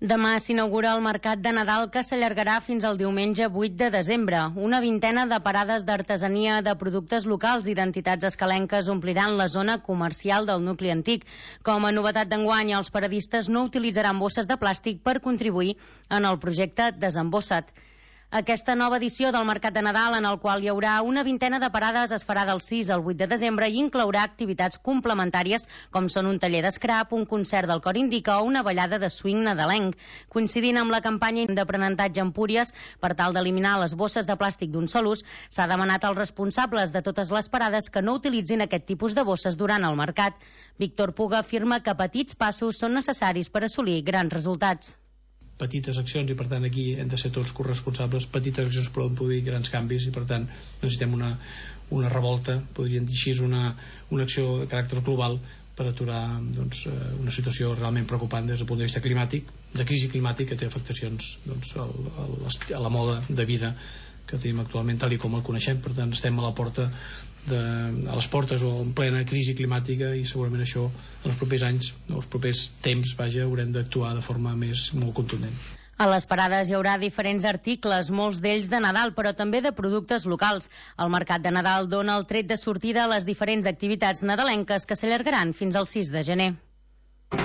Demà s'inaugura el Mercat de Nadal, que s'allargarà fins al diumenge 8 de desembre. Una vintena de parades d'artesania, de productes locals i d'entitats escalenques ompliran la zona comercial del nucli antic. Com a novetat d'enguany, els paradistes no utilitzaran bosses de plàstic per contribuir en el projecte Desembossa't. Aquesta nova edició del Mercat de Nadal, en el qual hi haurà una vintena de parades, es farà del 6 al 8 de desembre i inclourà activitats complementàries com són un taller d'escrap, un concert del Cor Indica o una ballada de swing nadalenc. Coincidint amb la campanya d'aprenentatge Empúries, per tal d'eliminar les bosses de plàstic d'un sol ús, s'ha demanat als responsables de totes les parades que no utilitzin aquest tipus de bosses durant el mercat. Víctor Puga afirma que petits passos són necessaris per assolir grans resultats. Petites accions, i per tant aquí hem de ser tots corresponsables. Petites accions poden produir grans canvis i per tant necessitem una revolta, podríem dir així, una acció de caràcter global per aturar una situació realment preocupant des del punt de vista climàtic, de crisi climàtica, que té afectacions a la moda de vida que tenim actualment tal i com el coneixem. Per tant estem a les portes o en plena crisi climàtica i segurament això en els propers anys, els propers temps, haurem d'actuar de forma molt contundent. A les parades hi haurà diferents articles, molts d'ells de Nadal, però també de productes locals. El Mercat de Nadal dona el tret de sortida a les diferents activitats nadalenques que s'allargaran fins al 6 de gener.